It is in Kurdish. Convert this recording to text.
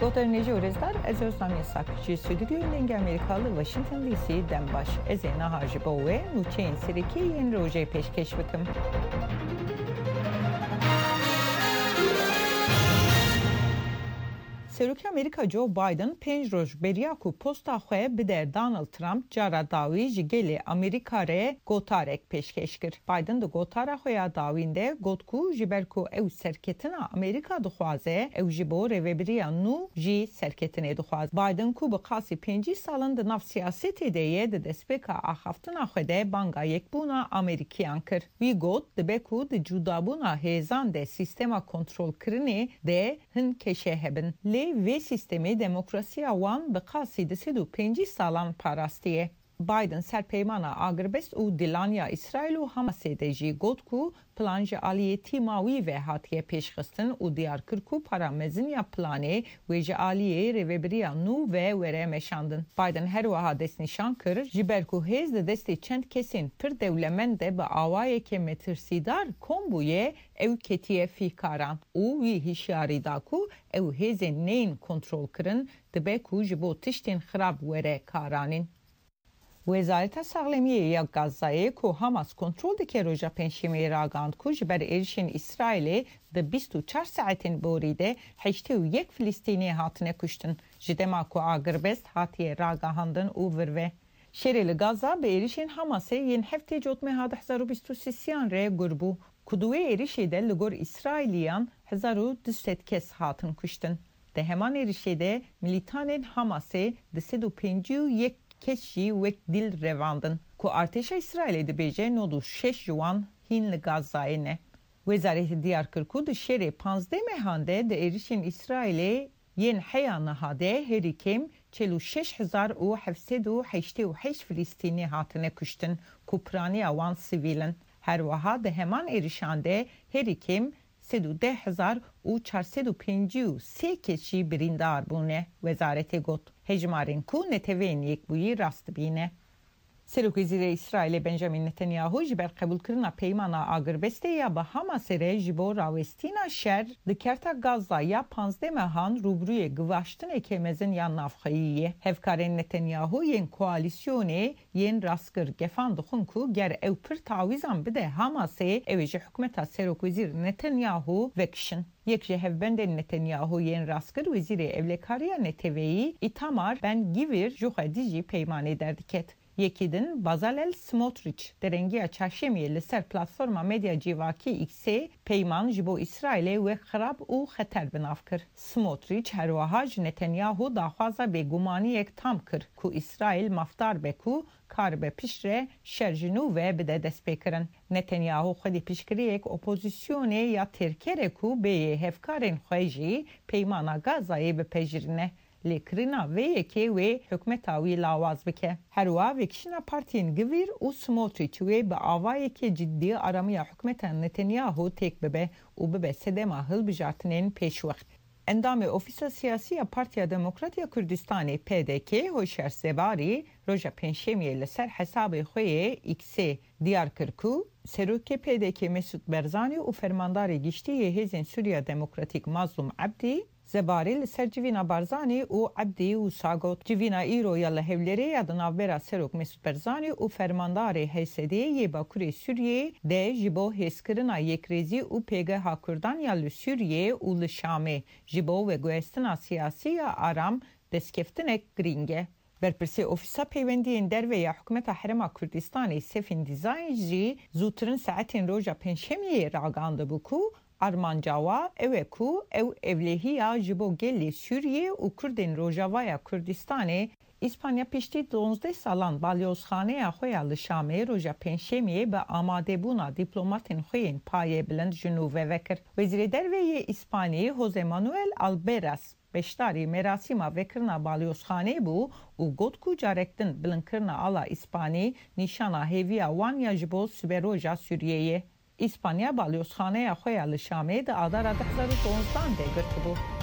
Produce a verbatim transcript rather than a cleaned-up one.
Goter nêjî û rêzdar, ez Ozlem Yasak. Ji stûdyoyên Dengê Amerîka li Washington D C dem baş. Ez ê niha ji bo we nûçeyên serokî yên rojê pêşkêş bikim. Serokê Amerîka Joe Biden pênc roj beriya ku posta xwe bide Donald Trump, cara dawî ji gelê Amerîka re gotarek pêşkêş kir. Biden di gotara xwe ya dawîn de got ku ji ber ku ew serketina Amerîka dixwaze, ew ji bo rêvebiriya nû jî serketinê dixwaze. Biden ku bi qasî pêncî sal in di nav siyasetê de ye, di destpêka axaftina xwe de banga yekbûna Amerîkiyan kir. Wî got, dibe ku di cudabûna hêzan de sîstema kontrolkirinê de hin keşe hebin. Lê vê sîstemê demokrasiya wan bi qasî du sed û pêncî salan parastiye. Biden ser peymana agirbest û dilaniya Îsraîl û Hamasê de jî got ku plan ji aliyê tîma wî ve hatiye pêşxistin û diyar kir ku para mezin ya planê wê ji aliyê rêvebiriya nû ve were meşandin. Biden her wiha destnîşan kir, ji ber ku hêz di destê çend kesên pir dewlemend de bi awayeke metirsîdar kom bûye, ew ketiye fîkaran û wî hişyarî da ku ew hêzên neyên kontrolkirin dibe ku ji bo tiştên xirab were karanîn. Wezareta Saxlemiyê ya Gazayê ku Hamas kontrol dike, roja Pêncşemiyê ragihand ku ji ber êrişên Îsraîlê di bîst û çar saetên borî de heştê û yek Filistînî hatine kuştin, ji dema ku agirbest hatiye ragihandin û vir ve. Şerê li Gaza bi êrişên Hamasê yên heftê Cotmeha du hezar û bîst û sêyan re gur bû, ku di wê êrişê de li gor Îsraîliyan hezar û du sed kes hatin kuştin. Di heman êrişê de milîtanên Hamasê du sed û pêncî û yek kes jî wek dîl revandin, ku artêşa Îsraîlê dibêje nod û şeş ji wan hîn li Gazayê ne. Wezaretê diyar kir ku di şerê panzdeh mehan de di êrişên Îsraîlê yên heya niha de herî kêm çil û şeş hezar û heft sed û heştê û heşt Filistînî hatine kuştin ku piraniya wan sivîl in. Her wiha di heman êrişan de herî kêm sed û deh hezar û çar sed û pêncî û sê kes jî birîndar bûne, wezaretê got. Hejmarên ku Neteweyên Yekbûyî rast dibîne. Serokwezîrê Îsraîlê Benjamin Netanyahu ji ber qebûlkirina peymana agirbestê ya bi Hamasê re ji bo rawestîna şer di kerta Gaza ya panzdeh mehan rûbirûyê givaştineke mezin ya navxweyî ye. Hevkarên Netanyahu yên koalîsyonê yên rastgir gefan dixwin ku ger ew pir tawîzan bide Hamasê, ew ê ji hikûmeta Serokwezîr Netanyahu vekişin. Yek ji hevbendên Netanyahu yên rastgir, Wezîrê Ewlekariya Neteweyî Itamar Ben Gvir ji xwe dijî peymanê derdiket. Yekî din Bazalel Smotrich derengiya çarşemiyê li ser platforma medya civakî X-ê peyman ji bo Îsraîlê wek xirab û xeter bi nav kir. Smotrich her wiha ji Netanyahu daxwaza bêgumaniyek tam kir ku Îsraîl mafdar be ku karibe piştre şer ji nû ve bide destpêkirin. Netanyahu xwedî piştgiriyek opozisyonê ya têrker e ku bêyê hevkarên xwe jî peymana Gazayê bipejirîne. Lê kirina vê yekê wê hikûmeta wî lawaz bike. Her wiha vekişîna partiyên Gvir û Smotrîç wê bi avayeke cidî aramiya hikûmeta Netanyahu têk bibe û bibe sedema hilbijartinên pêşwext. Endamê Ofîsa Siyasî ya Partiya Demokrat ya Kurdistanê, P D K, Hoşyar Zebarî, roja Pêncşemiyê li ser hesabê xwe yê X-ê diyar kir ku Serokê P D K Mesûd Barzanî û Fermandarê Giştî yê Hêzên Sûriya Demokratîk Mazlûm Ebdî, Zebarî li ser civîna Barzanî û Ebdî wisa got, Civîna îro ya li Hewlêrê ya di navbera Serok Mesûd Barzanî û Fermandarê H S D'ê yê Bakurê Sûriyeyê de ji bo hêzkirina yekrêzî û pêgeha Kurdan ya li Sûriyeyê û li Şamê, ji bo veguhestina siyasî ya aram, destkeftinek girîng e. Berpirsê Ofîsa Peywendiyên Derve ya Hikûmeta Herêma Kurdistanê Sefîn Dîzayîn jî zûtirin saetên roja Pêncşemiyê ragandibû ku armanca wa ew e ku ew ewlehiya ji bo gelê Sûriyê û Kurdên Rojavaya Kurdistanê. Îspanya piştî duwazdeh salan balyozxaneya xwe ya li Şamê roja Pêncşemiyê bi amadebûna dîplomatên xwe yên payebilind ji nû ve vekir. Wezîrê Derve yê Îspanî Jose Manuel Alberas beşdarî merasîma vekirina balyozxanê bû û got ku carek din bilindkirina ala Îspanî nîşana hêviya wan ya ji bo siberoja Sûriyeyê ye. Îspanya balyozxaneya xwe ya li Şamê di adara du hezar û şonzdehan de girtibû.